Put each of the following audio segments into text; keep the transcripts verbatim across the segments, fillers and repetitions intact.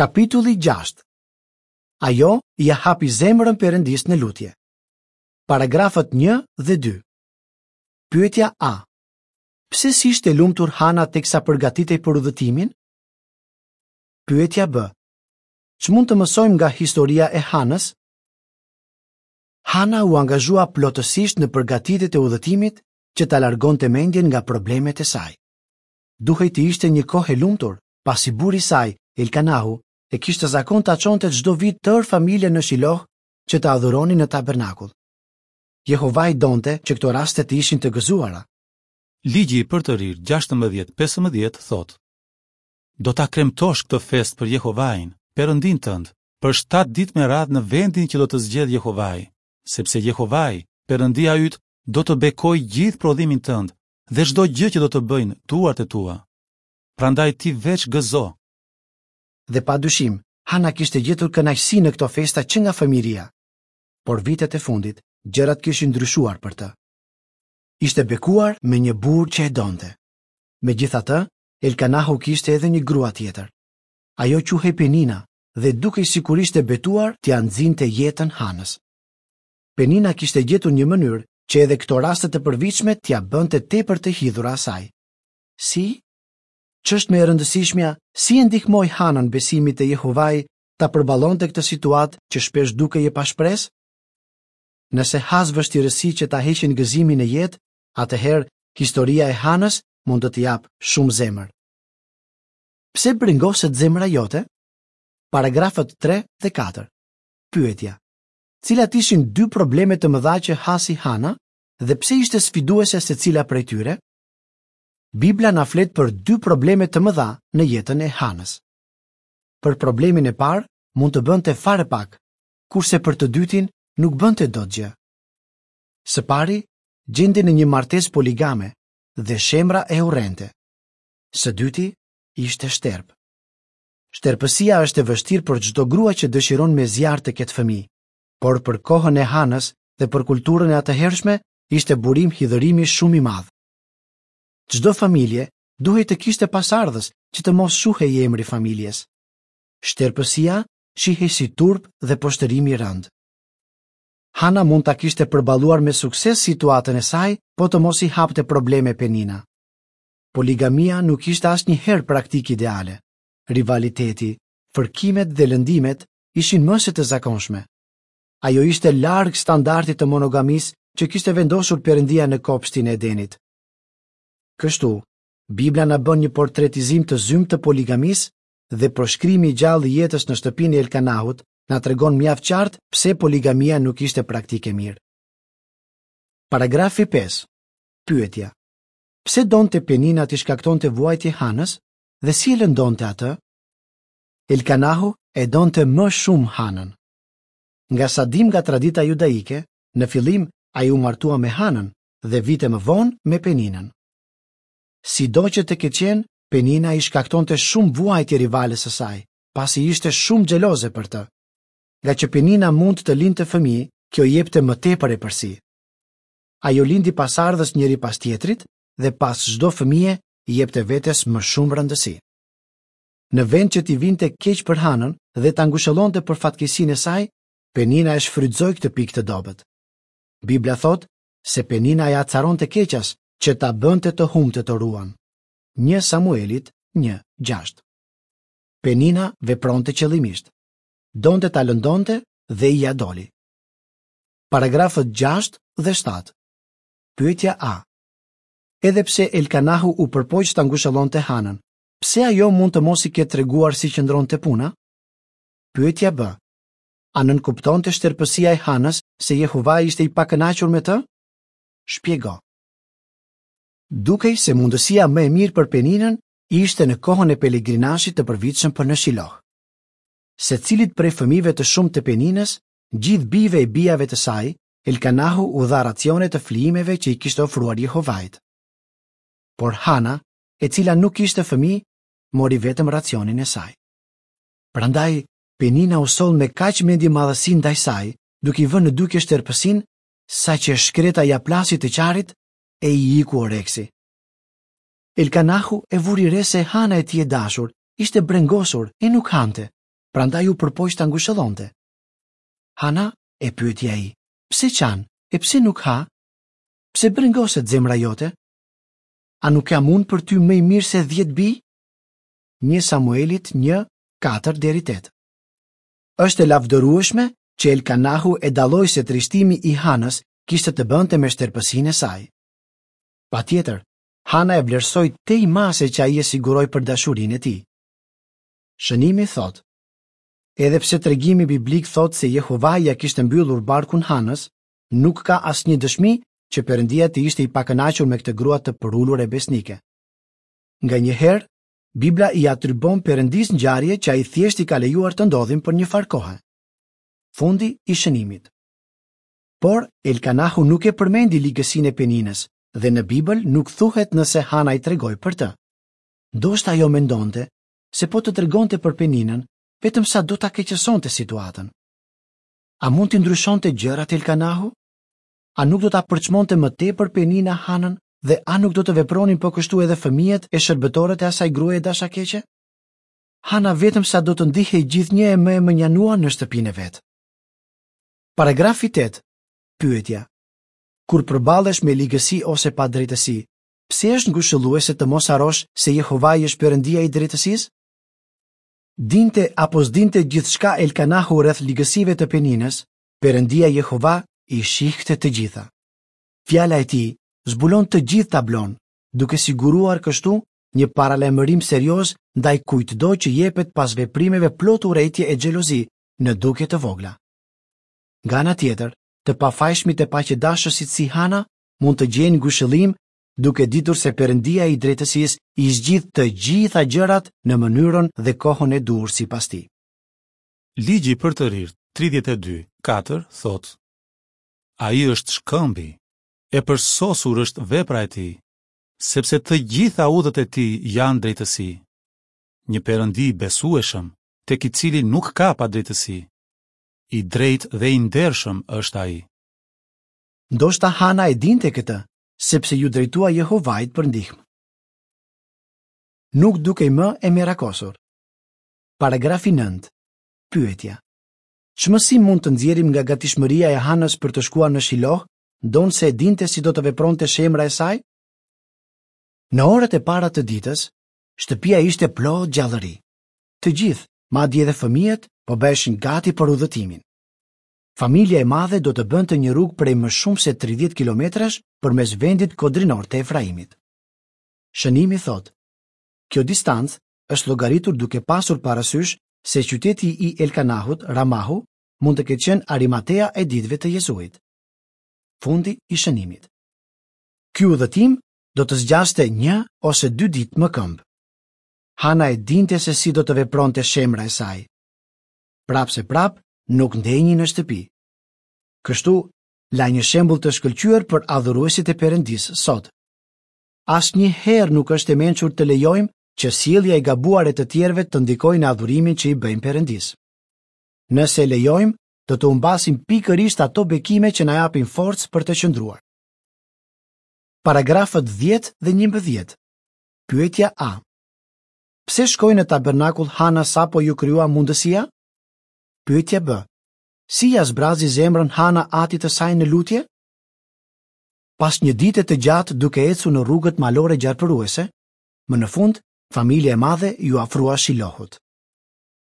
Kapitulli gjashtë. Ajo ia hapi zemrën Perëndisë në lutje. Paragrafët një dhe dy. Pyetja A. Pse s'ishte e lumtur Hana teksa përgatitej për udhëtimin? Pyetja B. Ç'mund të mësojmë nga historia e Hanës? Hana u angazhua plotësisht në përgatitjet e udhëtimit që ta largonte mendjen nga problemet e saj. Duhej të ishte një kohë e lumtur, pasi burri i saj, Elkanahu, e kishte zakon ta çonte çdo vit tërë familjen në Shiloh që të adhuronin në tabernakull. Jehovai donte që këto raste të ishin të gëzuara. Ligji i Përtërirë gjashtëmbëdhjetë pesëmbëdhjetë thotë: Do ta kremtosh këtë festë për Jehovain, Perëndinë tënd, për shtatë ditë me radhë në vendin që do të zgjedhë Jehovai, sepse Jehovai, Perëndia yt, do të bekojë gjithë prodhimin tënd dhe çdo gjë që do të bëjnë duart e tua. Prandaj ti veç gëzo. Dhe pa dyshim, Hana kishte gjetur kënaqësi në këto festa që nga fëmijëria. Por vitet e fundit, gjërat kishin ndryshuar për të. Ishte bekuar me një burrë që e donte. Megjithatë, Elkanahu kishte edhe një grua tjetër. Ajo quhej Penina dhe dukej sikur ishte betuar t'ia nxinte jetën Hanës. Penina kishte gjetur një mënyrë që edhe këto raste të përvitshme t'ia bënte tepër të hidhura asaj. Si? Ç'është më e rëndësishmja, si e ndihmoi Hanën besimi te Jehovai ta përballonte këtë situatë që shpesh dukej e pashpresë? Nëse has vështirësi që ta heqin gëzimin në jetë, atëherë historia e Hanës mund të të japë shumë zemër. Pse brengoset zemra jote? Paragrafët tre dhe katër. Pyetja: Cilat ishin dy probleme të mëdha që hasi Hana dhe pse ishte sfiduese secila prej tyre? Bibla na flet për dy probleme të mëdha në jetën e Hanës. Për problemin e parë mund të bënte fare pak, kurse për të dytin nuk bënte dot gjë. Së pari, gjendej në një martesë poligame dhe shemra e urrente. Së dyti, ishte shterp. Shterpësia është e vështirë për çdo grua që dëshiron me zjarr të ketë fëmijë, por për kohën e Hanës dhe për kulturën e atëhershme ishte burim hidhërimi shumë i madh. Çdo familje duhej të kishte pasardhës që të mos shuhej emri familjes. Shterpësia shihej si turp dhe poshtërim i rëndë. Hana mund ta kishte përballuar me sukses situatën e saj, po të mos i hapte probleme Penina. Poligamia nuk ishte asnjëherë praktikë ideale. Rivaliteti, fërkimet dhe lëndimet ishin më se të zakonshme. Ajo ishte larg standardit të monogamisë që kishte vendosur Perëndia në kopshtin e Edenit. Kështu, Bibla na bën një portretizim të zymtë të poligamisë dhe përshkrimi i gjallë i jetës në shtëpinë e Elkanahut na tregon mjaft qartë pse poligamia nuk ishte praktikë e mirë. Paragrafi pesë. Pyetja: Pse donte Penina t'i shkaktonte vuajtje Hanës dhe si e lëndonte atë? Elkanahu e donte më shumë Hanën. Nga sa dim nga tradita judaike, në fillim ai u martua me Hanën dhe vite më vonë me Peninën. Sido që të ketë qenë, Penina i shkaktonte shumë vuajtje rivales së saj, pasi ishte shumë xheloze për të. Nga që Penina mund të lindte fëmijë, kjo jepte më tepër epërsi. Ajo lindi pasardhës njëri pas tjetrit dhe pas çdo fëmije i jepte vetes më shumë rëndësi. Në vend që t'i vinte keq për Hanën dhe ta ngushëllonte për fatkeqësinë e saj, Penina e shfrytëzoi këtë pikë të dobët. Bibla thotë se Penina e acaronte keqas që ta bënte të humbte toruan. Një Samuelit një gjashtë. Penina vepronte qëllimisht. Donte ta lëndonte dhe ia doli. Paragrafët gjashtë dhe shtatë. Pyetja A. Edhe pse Elkanahu u përpoq ta ngushëllonte Hanën, pse ajo mund të mos i ketë treguar si qëndronte puna? Pyetja B. A nënkuptonte shterpësia e Hanës se Jehova ishte i pakënaqur me të? Shpjego. Dukej se mundësia më e mirë për Peninën ishte në kohën e pelegrinazhit të përvitshëm për në Shiloh. Secilit prej fëmijëve të shumtë të Peninës, gjithë bijve e bijave të saj, Elkanahu u dha racione të flijimeve që i kishte ofruar Jehovait. Por Hana, e cila nuk kishte fëmijë, mori vetëm racionin e saj. Prandaj, Penina u soll me kaq mendjemadhësi ndaj saj, duke i vënë në dukje shterpësinë, saqë e shkreta ia plasi të qarit e i iku oreksi. Elkanahu e vuri re se Hana e tij e dashur ishte brengosur e nuk hante, Prandaj u përpoq ta ngushëllonte. Hana, e pyeti ai, pse qan e pse nuk ha? Pse brengoset zemra jote? A nuk jam unë për ty më i mirë se dhjetë bij? Një Samuelit një, katër deri tetë. Është e lavdërueshme që Elkanahu e dalloi se trishtimi i Hanës kishte të bënte me shterpësinë e saj. Patjetër, Hana e vlerësoi tej mase që ai e siguroi për dashurinë e tij. Shënimi thotë, edhe pse tregimi biblik thotë se Jehovai ja kishte mbyllur barkun Hanës, nuk ka asnjë dëshmi që Perëndia të ishte i pakënaqur me këtë grua të përulur e besnike. Nganjëherë, Bibla i atribon Perëndisë ngjarje që ai thjesht i ka lejuar të ndodhin për një farë kohe. Fundi i shënimit. Por Elkanahu nuk e përmendi ligësinë e Peninës dhe në Bibël nuk thuhet nëse Hana i tregoi për të. Ndoshta ajo mendonte se po të tregonte për Peninën, vetëm sa do ta keqësonte situatën. A mund t'i ndryshonte gjërat Elkanahu? A nuk do ta përçmonte më tepër Penina Hanën dhe a nuk do të vepronin po kështu edhe fëmijët e shërbëtorët e asaj gruaje dashakeqe? Hana vetëm sa do të ndihej gjithnjë e më e mënjanuar në shtëpinë e vet. Paragrafi tetë. Pyetja. Kur përballesh me ligësi ose padrejtësi, pse është ngushëlluese të mos harrosh se Jehovai është Perëndia i drejtësisë? Dinte apo s'dinte gjithçka Elkanahu rreth ligësive të Peninës, Perëndia Jehova i shihte të gjitha. Fjala e tij zbulon të gjithë tablon, duke siguruar kështu një paralajmërim serioz ndaj kujtdo që jepet pas veprimeve plot urrejtje e xhelozi në dukje të vogla. Nga ana tjetër, të pafajshmit e paqedashësit si Hana mund të gjejnë ngushëllim duke ditur se Perëndia i drejtësisë i zgjidh të gjitha gjërat në mënyrën dhe kohën e duhur sipas tij. Ligji për të rirë tridhjetë e dy, katër thotë: Ai është shkëmbi, e përsosur është vepra e tij, sepse të gjitha udhët e tij janë drejtësi. Një perëndi i besueshëm, tek i cili nuk ka padrejtësi. I drejtë dhe i ndershëm është ai. Ndoshta Hana e dinte këtë, sepse ju drejtua Jehovait për ndihmë. Nuk dukej më e merakosur. Paragrafi nëntë. Pyetja. Ç'mësim mund të nxjerrim nga gatishmëria e Hanës për të shkuar në Shiloh, ndonëse e dinte si do të vepronte shemra e saj? Në orët e para të ditës, shtëpia ishte plot gjallëri. Të gjithë, madje edhe fëmijët, po bëheshin gati për udhëtimin. Familja e madhe do të bënte një rrugë prej më shumë se tridhjetë kilometrash përmes vendit kodrinor të Efraimit. Shënimi thotë, kjo distancë është llogaritur duke pasur parasysh se qyteti i Elkanahut, Ramahu, mund të ketë qenë Arimatea e ditëve të Jezuit. Fundi i shënimit. Ky udhëtim do të zgjaste një ose dy ditë më këmbë. Hana e dinte se si do të vepronte shemra e saj. Prapë se prapë, nuk ndenji në shtëpi. Kështu, la një shembull të shkëlqyer për adhuruesit e Perëndisë sot. Asnjëherë nuk është e mençur të lejojmë që sjellja e gabuar e të tjerëve të ndikojë në adhurimin që i bëjmë Perëndisë. Nëse e lejojmë, do të humbasim pikërisht ato bekime që na japin forcë për të qëndruar. Paragrafët dhjetë dhe njëmbëdhjetë. Pyetja A. Pse shkoi në tabernakull Hana sapo ju krijua mundësia? Pyetja B. Si ja zbrazi zemrën Hana atit të saj në lutje? Pas një dite të gjatë duke ecur në rrugët malore gjarpëruese, më në fund, familja e madhe ju afrua Shilohut.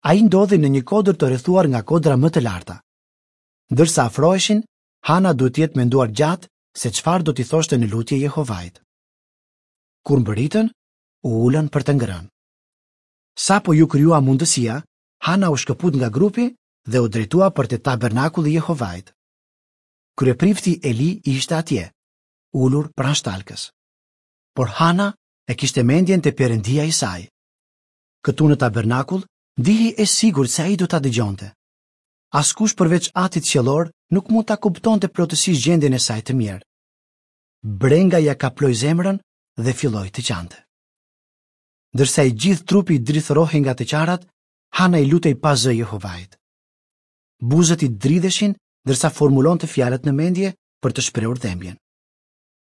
Ai ndodhi në një kodër të rrethuar nga kodra më të larta. Ndërsa afroheshin, Hana duhet të jetë menduar gjatë se çfarë do t'i thoshte në lutje Jehovait. Kur mbërritën, u ulën për të ngrënë. Sapo ju krijua mundësia, Hana u shkëput nga grupi dhe u drejtua për te tabernakulli i Jehovait. Kryeprifti Eli ishte atje, ulur pranë shtalkës. Por Hana e kishte mendjen te Perëndia i saj. Këtu në tabernakull ndihej e sigurt se ai do ta dëgjonte. Askush përveç Atit qiellor nuk mund ta kuptonte plotësisht gjendjen e saj të mirë. Brenga ja kaploi zemrën dhe filloi të qante. Ndërsa i gjithë trupi i drithërohej nga të qarat, Hana i lutej pa zë Jehovait. Buzët i dridheshin ndërsa formulonte fjalët në mendje për të shprehur dhembjen.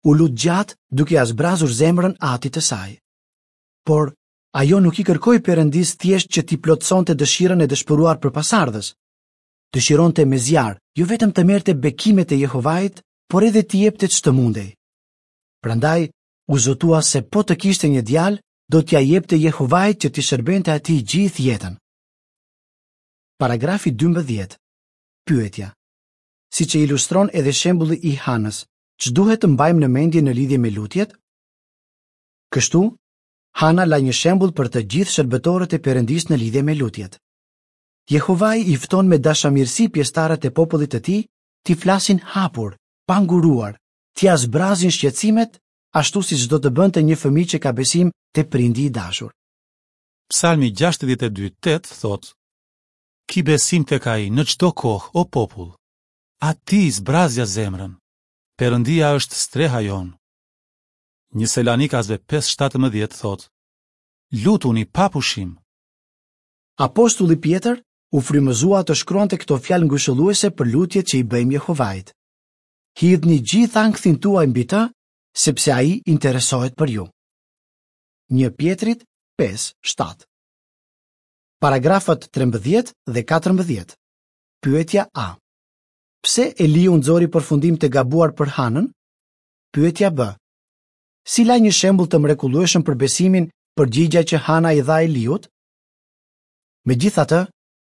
U lut gjatë duke ia zbrazur zemrën atit të saj. Por Ajo nuk i kërkoi Perëndisë thjesht që t'i plotësonte dëshirën e dëshpëruar për pasardhës. Dëshironte me zjarr, jo vetëm të merrte bekimet e Jehovait, por edhe t'i jepte ç'të mundej. Prandaj u zotua se po të kishte një djalë, do t'ia jepte Jehovait që t'i shërbente atij gjithë jetën. Paragrafi dymbëdhjetë. Pyetja. Siç e ilustron edhe shembulli i Hanës, ç'duhet të mbajmë në mendje në lidhje me lutjet? Kështu, Hana la një shembull për të gjithë shërbëtorët e Perëndisë në lidhje me lutjet. Jehovai i fton me dashamirësi pjesëtarët e popullit të tij t'i flasin hapur, pa nguruar, t'ia zbrazin shqetësimet, ashtu siç do të bënte një fëmijë që ka besim te prindi i dashur. Psalmi gjashtëdhjetë e dy tetë thotë: Ki besim tek ai në çdo kohë, o popull. Atij zbrazja zemrën. Perëndia është streha jonë. Një Selanikasve pesë shtatëmbëdhjetë thotë: Lutuni pa pushim. Apostulli Pjetër u frymëzua të shkruante këto fjalë ngushëlluese për lutjet që i bëjmë Jehovait. Hidhni gjithë ankthin tuaj mbi të, sepse ai interesohet për ju. Një Pjetrit pesë shtatë. Paragrafët trembëdhjetë dhe katërmbëdhjetë. Pyetja A. Pse Eliu nxori përfundim të gabuar për Hanën? Pyetja B. Si la një shembull të mrekullueshëm për besimin përgjigja që Hana i dha Eliut? Megjithatë,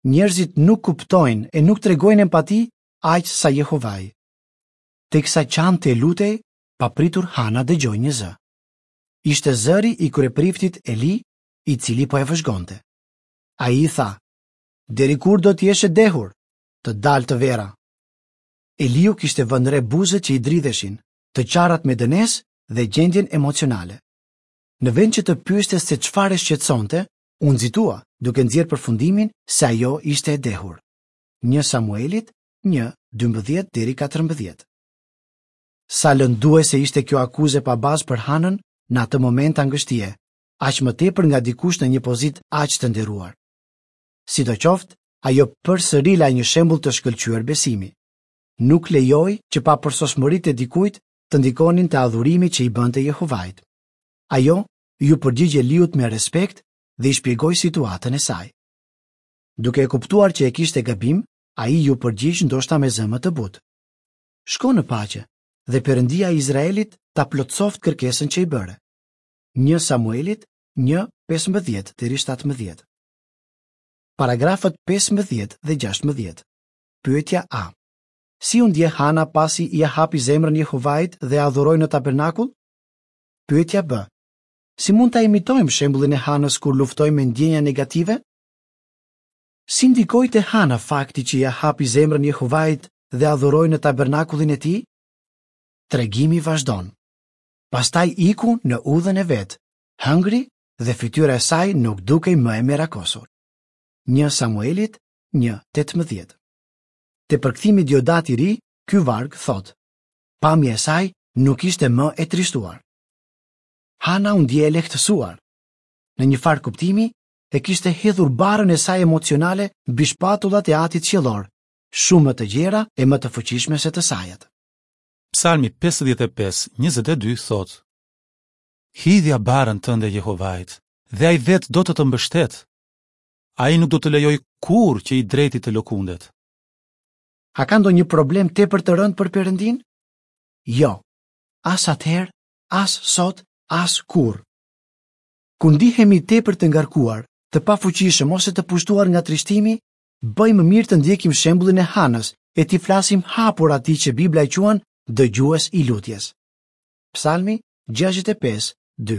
njerëzit nuk kuptojnë e nuk tregojnë empati aq sa Jehovai. Teksa qante e lutej, papritur Hana dëgjoi një zë. Ishte zëri i kryepriftit Eli, i cili po e vëzhgonte. Ai i tha: Deri kur do të jesh e dehur, të dalë të vera? Eliu kishte vënë re buzët që i dridheshin, të qarat me dënesë dhe gjendjen emocionale. Në vend që të pyeste se çfarë e shqetësonte, u nxitua, duke nxjerrë përfundimin se ajo ishte e dehur. Një Samuelit, një, dymbëdhjetë deri katërmbëdhjetë. Sa lënduese ishte kjo akuzë e pabazë për Hanën në atë moment angështie, aq më tepër nga dikush në një pozitë aq të nderuar. Sidoqoftë, ajo përsëri la një shembull të shkëlqyer besimi. Nuk lejoi që papërsosmëritë e dikujt të ndikonin te adhurimi që i bënte Jehovait. Ajo iu përgjigj Eliut me respekt dhe i shpjegoi situatën e saj. Duke e kuptuar që e kishte gabim, ai iu përgjigj ndoshta me zë më të butë. Shko në paqe dhe Perëndia e Izraelit ta plotësoft kërkesën që i bëre. Një Samuelit, një, pesëmbëdhjetë deri shtatëmbëdhjetë. Paragrafët pesëmbëdhjetë dhe gjashtëmbëdhjetë. Pyetja A. Si u ndje Hana pasi ia hapi zemrën Jehovait dhe adhuroi në tabernakull? Pyetja B. Si mund ta imitojmë shembullin e Hanës kur luftojmë me ndjenja negative? Si ndikoi te Hana fakti që ia hapi zemrën Jehovait dhe adhuroi në tabernakullin e tij? Tregimi vazhdon. Pastaj iku në udhën e vet, hëngri dhe fytyra e saj nuk dukej më e merakosur. Një Samuelit, një, tetëmbëdhjetë. Te përkthimi Diodat i ri, ky varg thotë: Pamja e saj nuk ishte më e trishtuar. Hana u ndje e lehtësuar. Në një farë kuptimi, e kishte hedhur barrën e saj emocionale mbi shpatullat e Atit Qiellor, shumë më të gjera e më të fuqishme se të sajat. Psalmi pesëdhjetë e pesë, njëzet e dy thotë: Hidhja barrën tënde Jehovait, dhe ai vetë do të të mbështet. Ai nuk do të lejojë kurrë që i drejti të lëkundet. A ka ndonjë problem tepër të rëndë për Perëndin? Jo, as atëherë, as sot, as kurrë. Kur ndihemi tepër të ngarkuar, të pafuqishëm ose të pushtuar nga trishtimi, bëjmë mirë të ndjekim shembullin e Hanës e t'i flasim hapur atij që Bibla e quan dëgjues i lutjes. Psalmi gjashtëdhjetë e pesë, dy.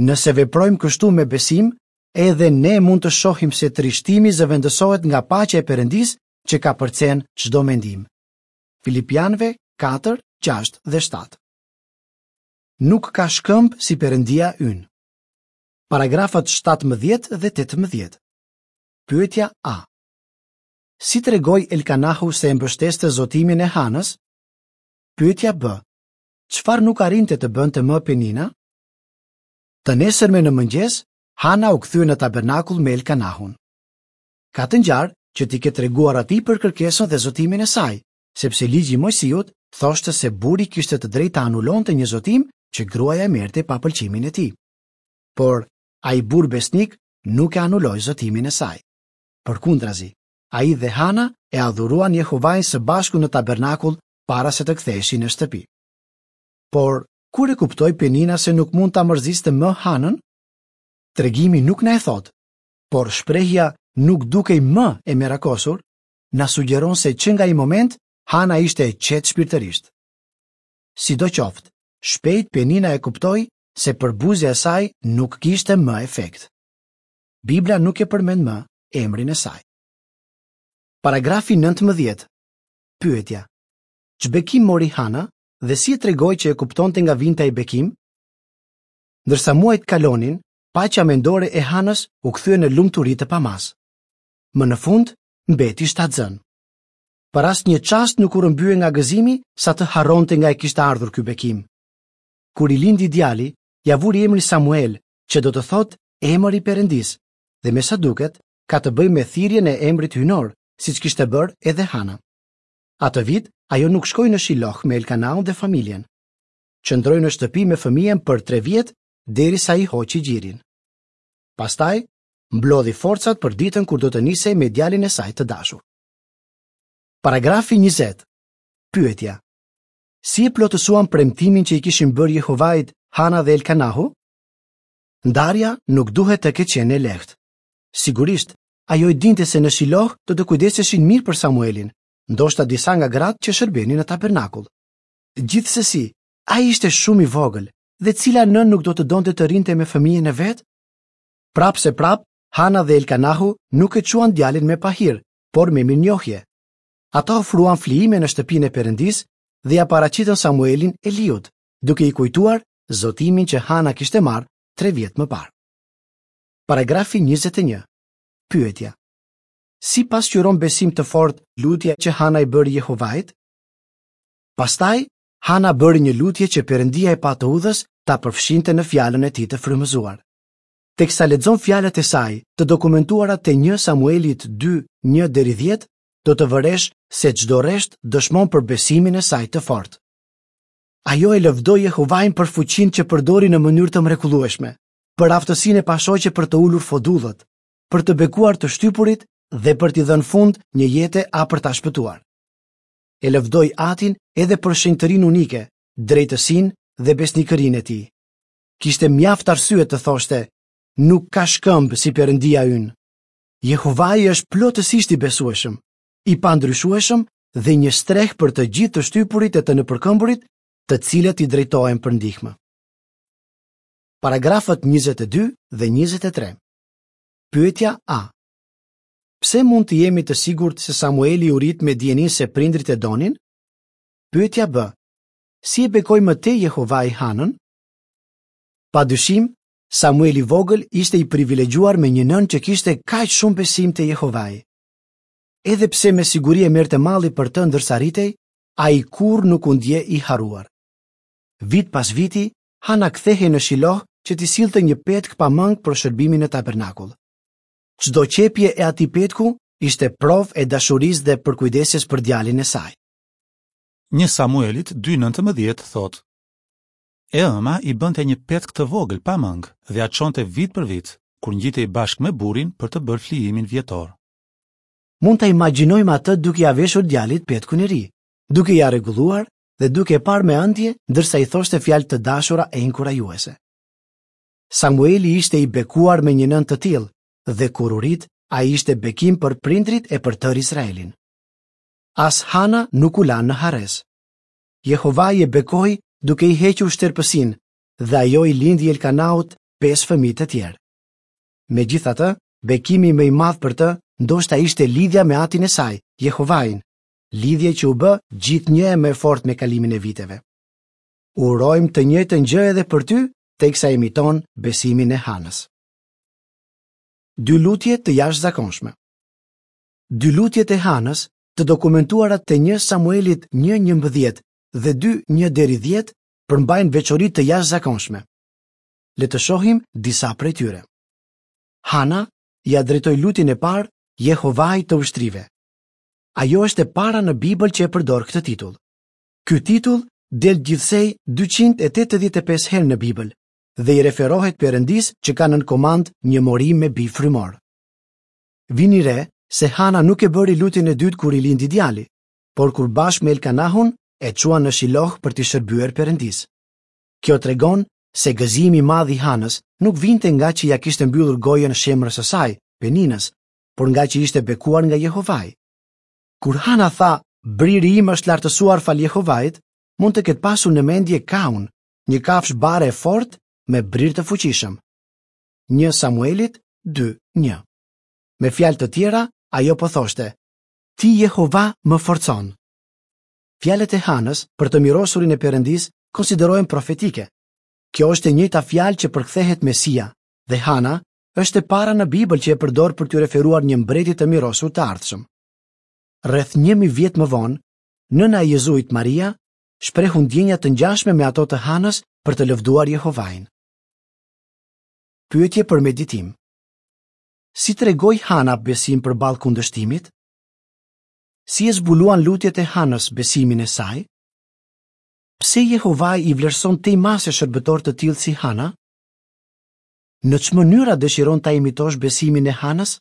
Nëse veprojmë kështu me besim, edhe ne mund të shohim se trishtimi zëvendësohet nga paqja e Perëndisë që ka përcen çdo mendim. Filipianëve katër, gjashtë dhe shtatë. Nuk ka shkëmb si Perëndia ynë. Paragrafët shtatëmbëdhjetë dhe tetëmbëdhjetë. Pyetja A. Si tregoi Elkanahu se e mbështeste zotimin e Hanës? Pyetja B. Çfarë nuk arrinte të bënte më Penina? Të nesërme në mëngjes, Hana u kthye në tabernakull me Elkanahun. Ka të ngjarë që t'i ketë treguar atij për kërkesën dhe zotimin e saj, sepse ligji i Mojsiut thoshte se burri kishte të drejtë ta anulonte një zotim që gruaja e merrte pa pëlqimin e tij. Por Ai burrë besnik nuk e anuloi zotimin e saj. Përkundrazi, ai dhe Hana e adhuruan Jehovain së bashku në tabernakull para se të ktheheshin në shtëpi. Por, kur e kuptoi Penina se nuk mund ta mërziste më Hanën? Tregimi nuk na e thotë, por shprehja nuk dukej më e merakosur, na sugjeron se që nga ai moment Hana ishte e qetë shpirtërisht. Sidoqoftë, shpejt Penina e kuptoi se përbuzja e saj nuk kishte më efekt. Bibla nuk e përmend më emrin e saj. Paragrafi nëntëmbëdhjetë. Pyetja: Ç'bekim mori Hana dhe si e tregoi që e kuptonte nga vinte ai bekim? Ndërsa muajt kalonin, paqja mendore e Hanës u kthye në lumturi të pamasë. Më në fund, mbeti shtatzënë. Për asnjë çast nuk u rrëmbye nga gëzimi sa të harronte nga e kishte ardhur ky bekim. Kur i lindi djali, ia vuri emrin Samuel, që do të thotë emër i Perëndisë, dhe me sa duket, ka të bëjë me thirrjen e emrit hyjnor, siç kishte bërë edhe Hana. Atë vit, ajo nuk shkoi në Shiloh me Elkanaun dhe familjen. Qëndroi në shtëpi me fëmijën për tre vjet derisa i hoqi gjirin. Pastaj, mblodhi forcat për ditën kur do të nisej me djalin e saj të dashur. Paragrafi njëzet. Pyetja: Si e plotësuan premtimin që i kishin bërë Jehovait Hana dhe Elkanahu? Ndarja nuk duhet të ketë qenë e lehtë. Sigurisht, ajo e dinte se në Shiloh do të kujdeseshin mirë për Samuelin, ndoshta disa nga gratë që shërbenin në tabernakull. Gjithsesi, ai ishte shumë i vogël dhe cila nënë nuk do të donte të rrinte me fëmijën e vet? Prapë se prapë, Hana dhe Elkanahu nuk e çuan djalin me pahir, por me mirënjohje. Ata ofruan flijime në shtëpinë e Perëndisë dhe ia paraqitën Samuelin Eliut, duke i kujtuar zotimin që Hana kishte marrë tre vjet më parë. Paragrafi njëzet e një. Pyetja: Si pasqyron besim të fortë lutja që Hana i bëri Jehovait? Pastaj, Hana bëri një lutje që Perëndia e pa të udhës ta përfshinte në fjalën e tij të frymëzuar. Teksa lexon fjalët e saj, të dokumentuara te një Samuelit dy, një deri dhjetë, do të vëresh se çdo rresht dëshmon për besimin e saj të fortë. Ajo e lëvdoi Jehovain për fuqinë që përdori në mënyrë të mrekullueshme, për aftësinë e pashoqe për të ulur fodullët, për të bekuar të shtypurit dhe për t'i dhënë fund një jete a për ta shpëtuar. E lëvdoi Atin edhe për shenjtërinë unike, drejtësinë dhe besnikërinë e tij. Kishte mjaft arsye të thoshte, nuk ka shkëmb si Perëndia ynë. Jehovai është plotësisht i besueshëm, i pandryshueshëm dhe një streh për të gjithë të shtypurit e të nëpërkëmburit, të cilët i drejtohen për ndihmë. Paragrafët njëzet e dy dhe njëzet e tre. Pyetja A. Pse mund të jemi të sigurt se Samueli u rrit me dijeninë se prindrit e donin? Pyetja B. Si e bekoi më tej Jehovai Hanën? Pa dyshim, Samueli i vogël ishte i privilegjuar me një nënë që kishte kaq shumë besim te Jehovai. Edhe pse me siguri e merrte malli për të ndërsa rritej, ai kurrë nuk u ndje i harruar. Vit pas viti, Hana kthehej në Shiloh që t'i sillte një petk pa mëngë për shërbimin në tabernakull. Çdo qepje e atij petku ishte provë e dashurisë dhe përkujdesjes për djalin e saj. Një Samuelit dy nëntëmbëdhjetë thotë: E ëma i bënte një petk të vogël pa mëngë dhe ia çonte vit për vit, kur ngjitej bashkë me burrin për të bërë flijimin vjetor. Mund ta imagjinojmë atë duke ia veshur djalit petkun e ri, duke ia rregulluar dhe duke e parë me ëndje ndërsa i thoshte fjalë të dashura e inkurajuese. Samueli ishte i bekuar me një nënë të tillë dhe kur u rrit, ai ishte bekim për prindrit e për tërë Izraelin. As Hana nuk u la në harresë. Jehovai e bekoi duke i hequr shterpësinë dhe ajo i lindi Elkanaut pesë fëmijë të tjerë. Megjithatë, bekimi më i madh për të ndoshta ishte lidhja me atin e saj, Jehovain, lidhje që u bë gjithnjë e më e fortë me kalimin e viteve. Urojmë të njëjtën gjë edhe për ty, teksa imiton besimin e Hanës. Dy lutje të jashtëzakonshme. Dy lutjet e Hanës, të dokumentuara te një Samuelit një njëmbëdhjetë dhe dy një deri dhjetë, përmbajnë veçori të jashtëzakonshme. Le të shohim disa prej tyre. Hana ia drejtoi lutjen e parë Jehovait të ushtrive. Ajo është e para në Bibël që e përdor këtë titull. Ky titull del gjithsej dyqind e tetëdhjetë e pesë herë në Bibël dhe i referohet Perëndisë që ka nën komandë një mori me bij frymorë. Vini re se Hana nuk e bëri lutjen e dytë kur i lindi djali, por kur bashkë me Elkanahun e çuan në Shiloh për t'i shërbyer Perëndisë. Kjo tregon se gëzimi i madh i Hanës nuk vinte nga që ia kishte mbyllur gojën shemrës së saj, Peninës, por nga që ishte bekuar nga Jehovai. Kur Hana tha, briri im është lartësuar falë Jehovait, mund të ketë pasur në mendje kaun, një kafshë bare e fortë me brir të fuqishëm. Një Samuelit dy një. Me fjalë të tjera, ajo po thoshte, Ti Jehova më forcon. Fjalët e Hanës për të mirosurin e Perëndisë konsiderohen profetike. Kjo është e njëjta fjalë që përkthehet Mesia, dhe Hana është e para në Bibël që e përdor për t'u referuar një mbreti të mirosur të ardhshëm. Rreth një mijë vjet më vonë, nëna e Jezuit Maria shprehu ndjenja të ngjashme me ato të Hanës për të lëvduar Jehovain. Pyetje për meditim. Si tregoi Hana besim përballë kundërshtimit? Si e zbuluan lutjet e Hanës besimin e saj? Pse Jehovai i vlerëson tej mase shërbëtorë të tillë si Hana? Në ç'mënyra dëshiron ta imitosh besimin e Hanës?